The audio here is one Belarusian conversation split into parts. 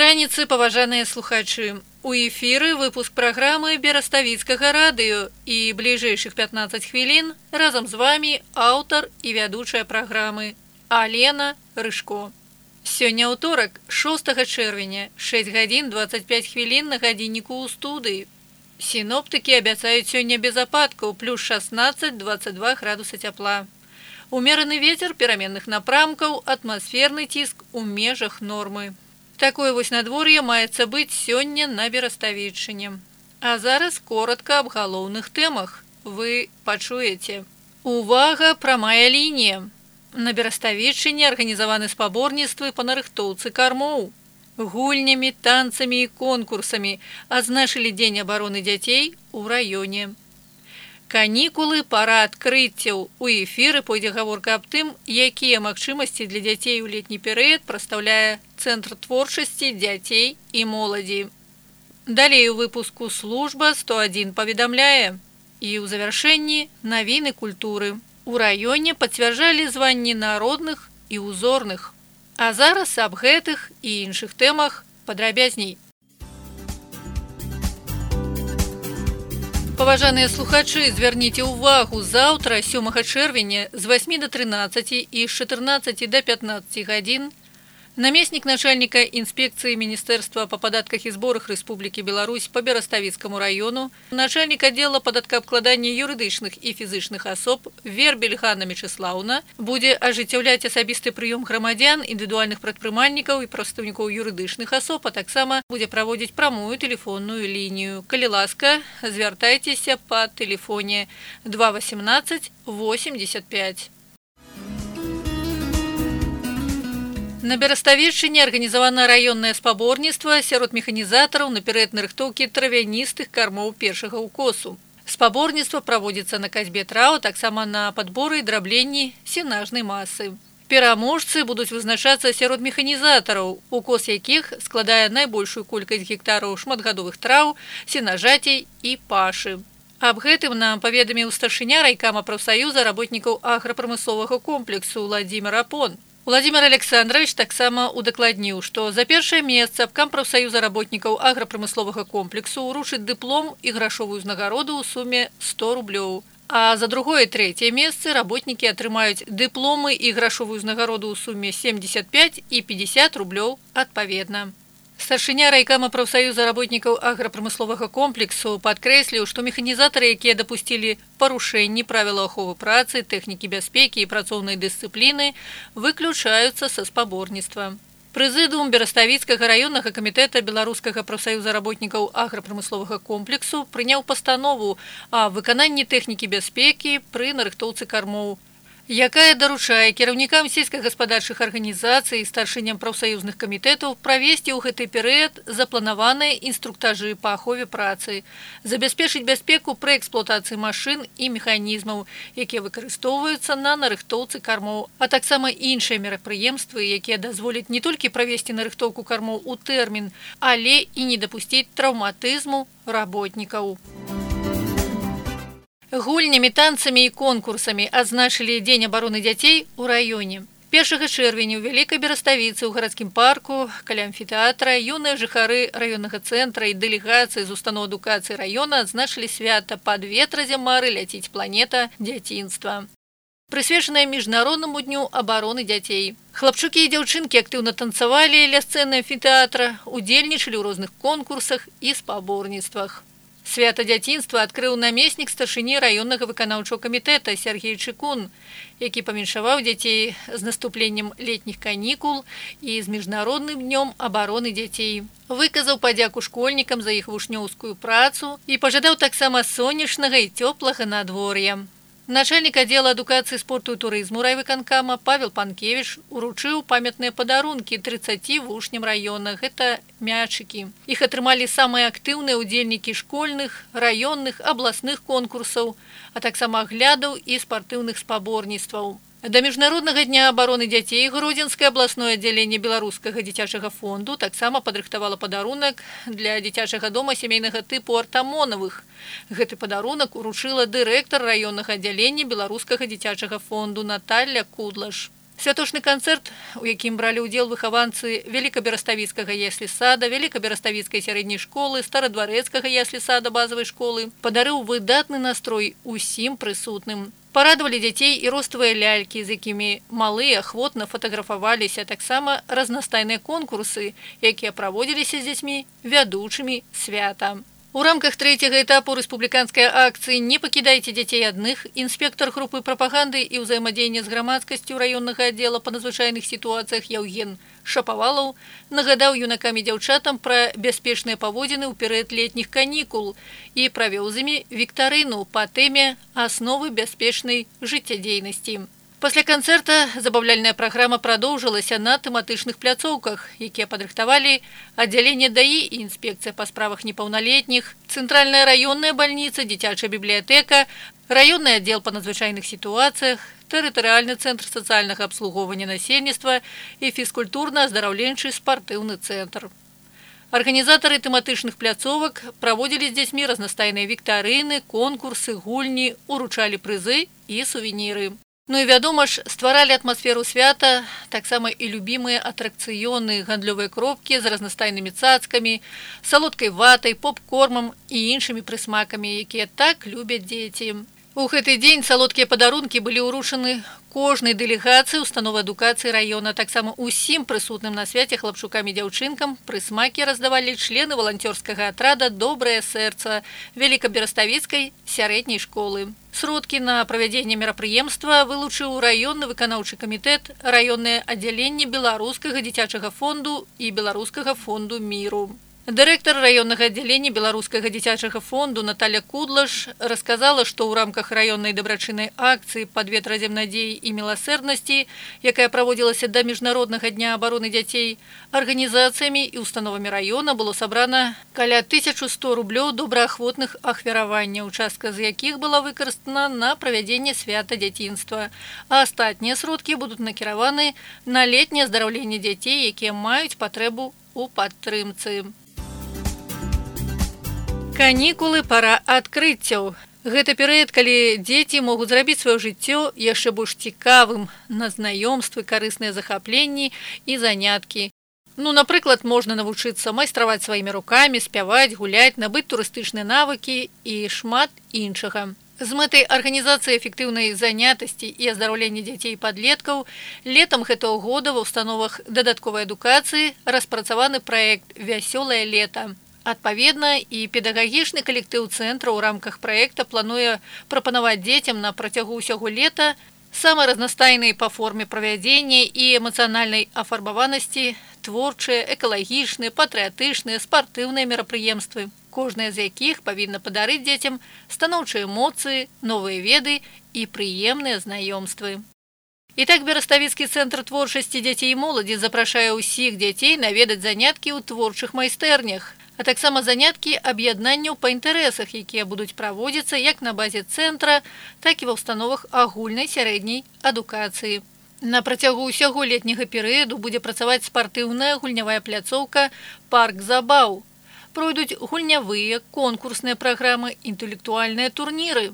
раніцы, паважаныя слухачы. У эфіры выпуск праграмы Бераставіцкага радыё і бліжэйшых 15 хвілін разам з вами аўтар і вядучая праграмы Алена Рыжко. Сёння ўторак, 6 чэрвеня, 6 гадзін 25 хвілін на гадзінніку ў студыі. Сіноптыкі абяцаюць сёння без ападкаў, плюс 16-22 градуса цяпла. Умераны вецер пераменных напрамкаў, атмасферны ціск у межах нормы. Такое вось надвор'е маецца быць сёння на Бераставіччыне. А зараз коротка аб галоўных тэмах. Вы пачуеце. Увага, прамая лінія. На Бераставіччыне арганізаваны спаборніцтвы па нарыхтоўцы кармоў. Гульнямі, танцамі і конкурсамі адзначылі Дзень абароны дзяцей у раёне. Канікулы, пара адкрыццяў. У эфіры пойдзе гаворка аб тым, якія магчымасці для дзяцей у летні перыяд прадстаўляе Цэнтр творчасці дзяцей і моладзі. Далей у выпуску служба 101 паведамляе. І ў завяршэнні навіны культуры. У раёне пацвярджалі званні народных і узорных. А зараз аб гэтых і іншых тэмах падрабязней. Паважаныя слухачы, звярніце ўвагу, заўтра, 7 чэрвеня, з 8 до 13 і з 14 до 15 гадзін намеснік начальніка інспекцыі Міністэрства па падатках і зборах Рэспублікі Беларусь па Бераставіцкаму раёну, начальнік аддзела падаткаабкладання юрыдычных і фізычных асоб Вербель Ганна Мечыслаўна будзе ажыццяўляць асабісты прыём грамадзян, індывідуальных прадпрымальнікаў і прадстаўнікоў юрыдычных асоб, а таксама будзе праводзіць прамую тэлефонную лінію. Калі ласка, звяртайцеся па тэлефоне 218 85. На Бераставіччыне арганізавана раённае спаборніцтва сярод механізатараў на перыяд нарыхтоўкі травяністых кармоў першага ўкосу. Спаборніцтва праводзіцца на касьбе траў, таксама на падборы і драбленні сенажнай масы. Пераможцы будуць вызначацца сярод механізатараў, укос якіх складае найбольшую колькасць гектараў шматгадовых траў, сенажацей і пашы. Аб гэтым нам паведаміў старшыня райкама прафсаюза работнікаў аграпрамысловага комплексу Владзімир Апон. Владимир Александрович таксама удакладніў, што за першае месца абкам прафсаюза работнікаў аграпрамысловага комплексу ўручыць дыплом і грашовую ўзнагароду ў суме 100 рублёў. А за другое і трэцяе месцы работнікі атрымаюць дыпломы і грашовую ўзнагароду ў суме 75 і 50 рублёў адпаведна. Старшыня райкама прафсаюза работнікаў аграпрамысловага комплексу падкрэсліў, што механізатары, якія дапусцілі парушэнні правілаў аховы працы, тэхнікі бяспекі і працоўнай дысцыпліны, выключаюцца са спаборніцтва. Прэзідыум Бераставіцкага раённага камітэта Беларускага прафсаюза работнікаў аграпрамысловага комплексу прыняў пастанову аб выкананні тэхнікі бяспекі пры нарыхтоўцы кармоў, якая даручае кіраўнікам сельскагаспадарчых арганізацый і старшыням прафсаюзных камітэтаў правесці ў гэты перыяд запланаваныя інструктажы па ахове працы, забяспечыць бяспеку пры эксплуатацыі машын і механізмаў, якія выкарыстоўваюцца на нарыхтоўцы кармоў, а таксама іншыя мерапрыемствы, якія дазволяць не толькі правесці нарыхтоўку кармоў у тэрмін, але і не дапусціць траўматызму работнікаў. Гульнямі, танцамі і конкурсамі адзначылі Дзень абароны дзяцей у раёне. 1 чэрвеня ў Вялікай Бераставіцы ў гарадскім парку каля амфітэатра юныя жыхары раённага цэнтра і дэлегацыі з устаноў адукацыі раёна адзначылі свята «Пад ветразем мары ляціць планета дзяцінства», прысвечанае міжнароднаму дню абароны дзяцей. Хлапчукі і дзяўчынкі актыўна танцавалі ля сцэны амфітэатра, удзельнічалі ў розных конкурсах і спаборніцтвах. Свята дзяцінства адкрыў намеснік старшыні раённага выканаўчага камітэта Сергей Чыкун, які павіншаваў дзяцей з наступленнем летніх канікул і з міжнародным днём абароны дзяцей. Выказаў падзяку школьнікам за іх вучнёўскую працу і пажадаў таксама сонечнага і цёплага надвор'я. Начальнік аддзела адукацыі, спорту і турызму райвыканкама Павел Панкевіч уручыў памятныя падарункі 30 вучням раёна. Гэта мячыкі. Іх атрымалі самыя актыўныя ўдзельнікі школьных, раённых, абласных конкурсаў, а таксама аглядаў і спартыўных спаборніцтваў. Да міжнароднага дня абароны дзяцей Гродзенскае абласное аддзяленне беларускага дзіцячага фонду таксама падрыхтавала падарунак для дзіцячага дома сямейнага тыпу Артамонавых. Гэты падарунак уручыла дырэктар раённага аддзялення беларускага дзіцячага фонду Наталья Кудлаш. Святочны канцэрт, у якім бралі ўдзел выхаванцы Великабераставіцкага яслі-сада, Великабераставіцкай сярэдняй школы, Старадварэцкага яслі-сада базавай школы, падарыў выдатны настрой усім прысутным. Парадавалі дзяцей і роставыя лялькі, з якімі малыя ахвотна фатаграфаваліся, таксама разнастайныя конкурсы, якія праводзіліся з дзяцьмі вядучымі свята. У рамках трэцяга этапу рэспубліканскай акцыі «Не пакідайце дзяцей адных» інспектар групы прапаганды і ўзаемадзеяння з грамадскасцю раённага аддзела па надзвычайных сітуацыях Яўген Шапавалаў нагадаў юнакам і дзяўчатам пра бяспечныя паводзіны ў перыяд летніх канікул і правёў з імі віктарыну па тэме «Асновы бяспечнай жыццядзейнасці». Пасля канцэрта забаўляльная праграма прадоўжылася на тэматычных пляцоўках, якія падрыхтавалі аддзяленне ДАІ і інспекцыя па справах непаўналетніх, цэнтральная раённая бальніца, дзіцячая бібліятэка, раённы аддзел па надзвычайных сітуацыях, тэрытарыяльны цэнтр сацыяльнага абслугоўвання насельніцтва і фізкультурна-аздараўленчы спартыўны цэнтр. Арганізатары тэматычных пляцовак праводзілі з дзяцьмі разнастайныя віктарыны, конкурсы, гульні, уручалі прызы і сувеніры. Ну і вядома ж, стваралі атмасферу свята таксама і любімыя атракцыёны, гандлёвыя кропкі з разнастайнымі цацкамі, салодкай ватай, поп-кормам і іншымі прысмакамі, якія так любяць дзеці. У гэты дзень салодкія падарункі былі ўручаны кожнай дэлегацыі установы адукацыі раёна, таксама усім прысутным на свяце хлапчукам і дзяўчынкам прысмакі раздавалі члены валанцёрскага атрада «Добрае сэрца» Великабераставіцкай сярэдняй школы. Сродкі на правядзенне мерапрыемства вылучыў раённы выканаўчы камітэт, раённае аддзяленне Беларускага дзіцячага фонду і Беларускага фонду міру. Дырэктар раённага аддзялення Беларускага дзіцячага фонду Наталя Кудлаш расказала, што ў рамках раённай дабрачыннай акцыі «Падвет разам надзеі і міласэрнасці», якая праводзілася да Міжнароднага дня абароны дзяцей, арганізацыямі і установамі раёна было сабрана каля 1100 рублёў добраахвотных ахвяраванняў, частка з якіх была выкарыстана на правядзенне свята дзяцінства, а астатнія сродкі будуць накіраваны на летняе аздараўленне дзяцей, якія маюць патрэбу ў падтрымцы. Канікулы – пара адкрыццяў. Гэта перыяд, калі дзеці могуць зрабіць сваё жыццё яшчэ больш цікавым на знаёмствы, карысныя захапленні і заняткі. Напрыклад, можна навучыцца майстраваць сваімі рукамі, спяваць, гуляць, набыць турыстычныя навыкі і шмат іншага. З мэтай арганізацыі эфектыўнай занятасці і аздараўлення дзяцей і падлеткаў летам гэтага года ва ўстановах дадатковай адукацыі распрацаваны праект «Вясёлае лета». Адпаведна, і педагагічны калектыў цэнтра ў рамках праекта плануе прапанаваць дзецям на працягу ўсяго лета самыя разнастайныя па форме правядзення і эмацыянальнай афарбаванасці творчыя, экалагічныя, патрыятычныя, спартыўныя мерапрыемствы, кожнае з якіх павінна падарыць дзецям станоўчыя эмоцыі, новыя веды і прыемныя знаёмствы. І так Бераставіцкі цэнтр творчасці дзяцей і моладзі запрашае ўсіх дзяцей наведаць заняткі ў творчых майстэрнях, а таксама заняткі аб'яднанняў па інтарэсах, якія будуць праводзіцца як на базе цэнтра, так і ва ўстановах агульнай сярэдняй адукацыі. На працягу ўсяго летняга перыяду будзе працаваць спартыўная гульнявая пляцоўка «Парк забаў». Пройдуць гульнявыя, конкурсныя праграмы, інтэлектуальныя турніры.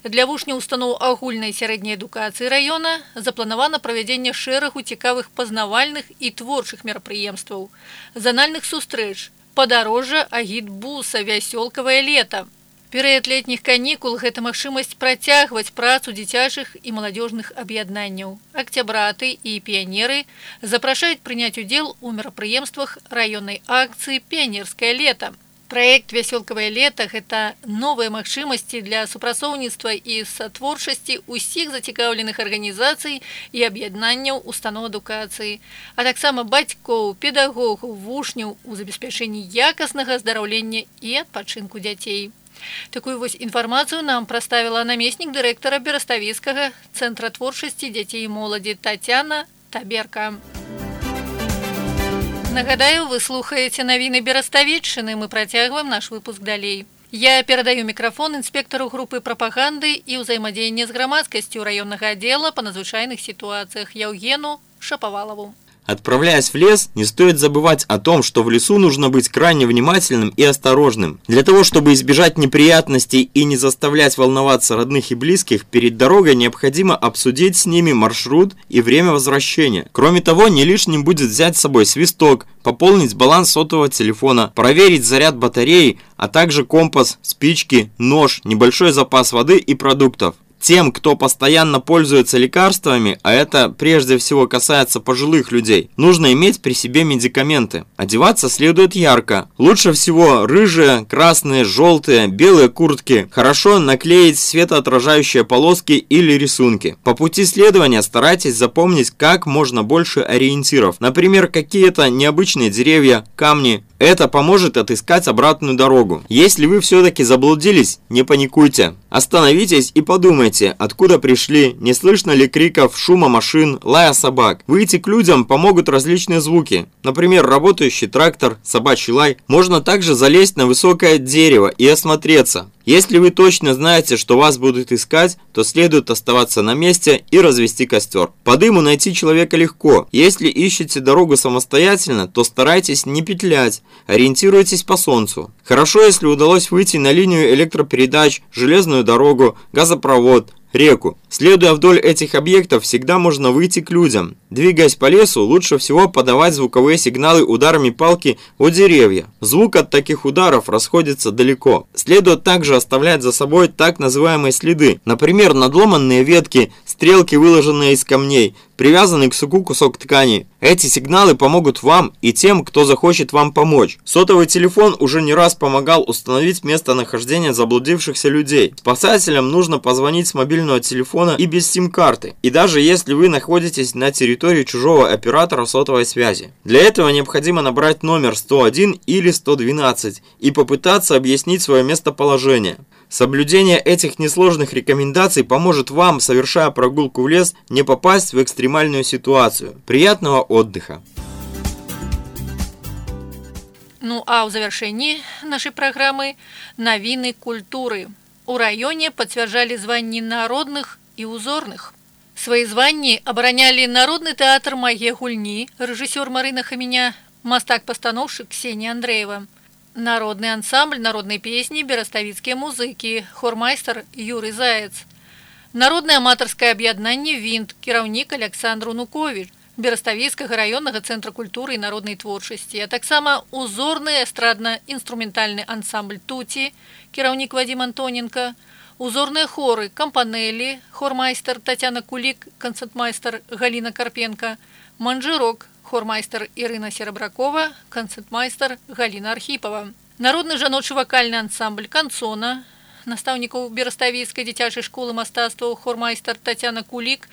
Для вучняў устаноў агульнай сярэдняй адукацыі раёна запланавана правядзенне шэрагу цікавых пазнавальных і творчых мерапрыемстваў, занальных сустрэч, падарожжа агітбуса «Вясёлкавае лета». Перыяд летніх канікул – гэта магчымасць працягваць працу дзіцячых і маладзёжных аб'яднанняў. Акцябраты і піянеры запрашаюць прыняць удзел у мерапрыемствах раённай акцыі «Піянерскае лета». Праект «Вясёлкавае лета» – гэта новыя магчымасці для супрацоўніцтва і сатворчасці ўсіх зацікаўленых арганізацый і аб'яднанняў устаноў адукацыі, а таксама бацькоў, педагогаў, вучняў у забеспячэнні якаснага аздараўлення і адпачынку дзяцей. Такую вось інфармацыю нам прадставіла намеснік дырэктара Бераставіцкага цэнтра творчасці дзяцей і моладзі Тацяна Таберка. Нагадаю, вы слухаеце навіны Бераставіччыны, мы працягваем наш выпуск далей. Я перадаю мікрафон інспектару групы прапаганды і ўзаемадзеяння з грамадскасцю раённага аддзела па надзвычайных сітуацыях Яўгену Шапавалаву. Отправляясь в лес, не стоит забывать о том, что в лесу нужно быть крайне внимательным и осторожным. Для того, чтобы избежать неприятностей и не заставлять волноваться родных и близких, перед дорогой необходимо обсудить с ними маршрут и время возвращения. Кроме того, не лишним будет взять с собой свисток, пополнить баланс сотового телефона, проверить заряд батареи, а также компас, спички, нож, небольшой запас воды и продуктов. Тем, кто постоянно пользуется лекарствами, а это прежде всего касается пожилых людей, нужно иметь при себе медикаменты. Одеваться следует ярко. Лучше всего рыжие, красные, желтые, белые куртки. Хорошо наклеить светоотражающие полоски или рисунки. По пути следования старайтесь запомнить как можно больше ориентиров. Например, какие-то необычные деревья, камни. Это поможет отыскать обратную дорогу. Если вы все-таки заблудились, не паникуйте. Остановитесь и подумайте, откуда пришли, не слышно ли криков, шума машин, лая собак. Выйти к людям помогут различные звуки. Например, работающий трактор, собачий лай. Можно также залезть на высокое дерево и осмотреться. Если вы точно знаете, что вас будут искать, то следует оставаться на месте и развести костер. По дыму найти человека легко. Если ищете дорогу самостоятельно, то старайтесь не петлять, ориентируйтесь по солнцу. Хорошо, если удалось выйти на линию электропередач, железную дорогу, газопровод, реку. Следуя вдоль этих объектов, всегда можно выйти к людям. Двигаясь по лесу, лучше всего подавать звуковые сигналы ударами палки о деревья. Звук от таких ударов расходится далеко. Следует также оставлять за собой так называемые следы. Например, надломанные ветки, стрелки, выложенные из камней, привязанный к суку кусок ткани. Эти сигналы помогут вам и тем, кто захочет вам помочь. Сотовый телефон уже не раз помогал установить местонахождение заблудившихся людей. Спасателям нужно позвонить с мобильного телефона и без сим-карты. И даже если вы находитесь на территории чужого оператора сотовой связи. Для этого необходимо набрать номер 101 или 112 и попытаться объяснить свое местоположение. Соблюдение этих несложных рекомендаций поможет вам, совершая прогулку в лес, не попасть в экстремальную ситуацию. Приятного отдыха! Ну а ў завяршэнні нашай праграмы навіны культуры. У раёне пацвярджалі званні народных і узорных. Свае званні абаранялі народны тэатр «Мае гульні», рэжысёр Марына Хаміня, мастак-пастаноўшчык Ксенія Андрэева. Народный ансамбль народной песни «Бераставіцкія музыкі», хормайстер Юрий Заяц. Народное аматарское объединение «Винт», кіраўнік Александр Унукович, Бераставіцкага раённага цэнтра культуры и народной творчасці, а таксама узорны эстрадна-инструментальный ансамбль «Туті», кіраўнік Вадим Антоненко, узорные хоры «Кампанелі», хормайстер Татьяна Кулик, концертмайстер Галина Карпенко, «Манжирок», хормайстер Ірына Серабракова, концертмайстер Галина Архипова. Народны жаночы вакальны ансамбль «Кансона», настаўнікаў Бераставіцкай дзіцячай школы мастацтваў хормайстер Татьяна Кулик,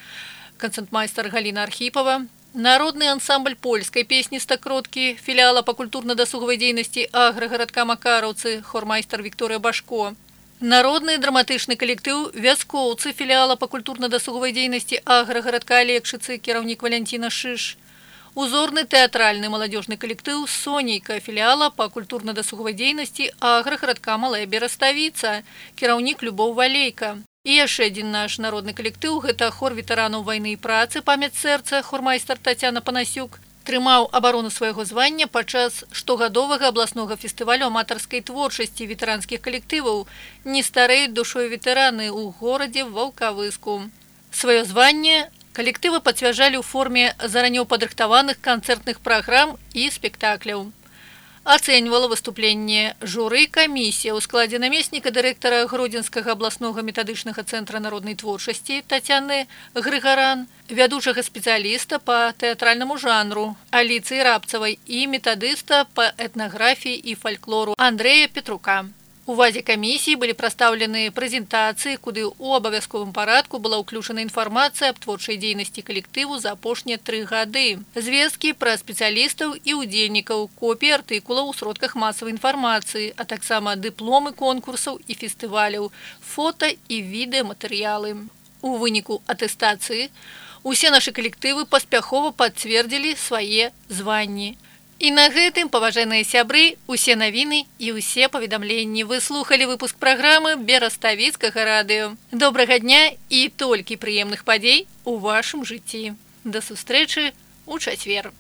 концертмайстер Галина Архипова. Народный ансамбль польской песни «Стакроткі», филиала по культурно-досуговой деятельности аграгарадка Макараўцы, хормайстер Виктория Башко. Народный драматычны коллектив «Вяскоўцы», филиала по культурно-досуговой деятельности аграгарадка Алексицы, кіраўнік Валентина Шиш. Узорный театральный молодежный коллектив «Сонейка», филиала по культурно-досуговой деятельности аграгарадка Малая Бераставіца, кіраўнік Любоў Валейка. И яшчэ один наш народный коллектив, это хор ветеранов войны и працы «Памяць сэрца», хормайстер Татьяна Панасюк, трымаў абарону свайго звання падчас штогадовага абласнога фестывалю аматарскай творчасці ветэранскіх калектываў «Не стареюць душой ветэраны» ў горадзе Ваўкавыску. Свое звание коллективы пацвярджалі ў форме заранее падрыхтаваных концертных программ и спектакляў. Оценивала выступление журы комиссия ў складзе намесніка дырэктара Гродзенскага абласнога метадычнага цэнтра народнай творчасці Татьяны Грыгаран, вядучага спецыяліста по тэатральнаму жанру Аліцыі Рабцавай і метадыста по этнографии и фольклору Андрея Петрука. У вазе комиссии были представлены презентации, куды у абавязковым парадку была ўключана інфармацыя аб творчай дзейнасці калектыву за апошнія 3 гады. Звесткі пра спецыялістаў і ўдзельнікаў, копіі артыкулаў у сродках масавай інфармацыі, а таксама дыпломы конкурсаў і фестываляў, фото і відэаматэрыялы. У выніку атэстацыі усе нашы калектывы паспяхова пацвердзілі свае званні. І на гэтым, паважаныя сябры, усе навіны і усе паведамленні. Вы слухалі выпуск праграмы Бераставіцкага радыё. Добрага дня і толькі прыемных падзей у вашым жыцці. Да сустрэчы ў чацвер.